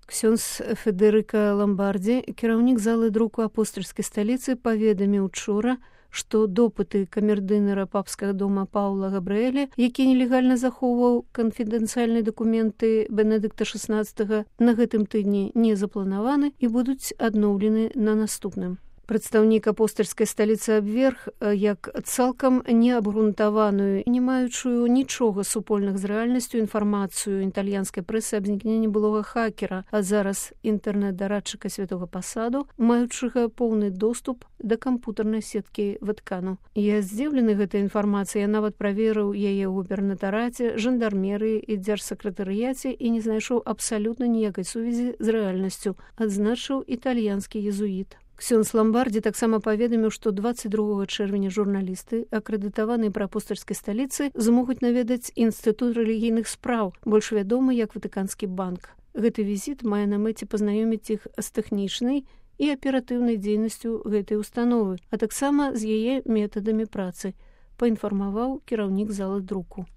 Ксёндз Федэрыка Ламбардзі, кіраўнік залы друку апостальскай сталіцы, паведаміў учора, што допыты камердынера папскага дома Паўла Габрыэля, які нелегальна захоўваў канфідэнцыяльныя дакументы Бенедыкта XVI, на гэтым тыдні не запланаваны і будуць адноўлены на наступным. Прадстаўнік апостальскай сталіцы абверг як цалкам неабгрунтаваную, не маючую нічога супольных з рэальнасцю інфармацыю італьянскай прэсы аб знікненні былога хакера, а зараз інтэрнэт-дарадчыка святога пасаду, маючага поўны доступ да кампутарнай сеткі Ваткану. Я здзіўлены гэтай інфармацыяй, я нават праверыў яе ў губернатараце, жандармерыі і дзяржсакратарыяце і не знайшоў абсалютна ніякай сувязі з рэальнасцю, адзначыў італьянскі езуіт. Ксёндз Ламбардзі таксама паведаміў, што 22 чэрвеня журналісты, акрэдытаваныя пры апостальскай сталіцы, змогуць наведаць інстытут рэлігійных спраў, больш вядомы як Ватыканскі банк. Гэты візіт мае на мэце пазнаёміць іх з тэхнічнай і аператыўнай дзейнасцю гэтай установы, а таксама з яе метадамі працы, паінфармаваў кіраўнік залы друку.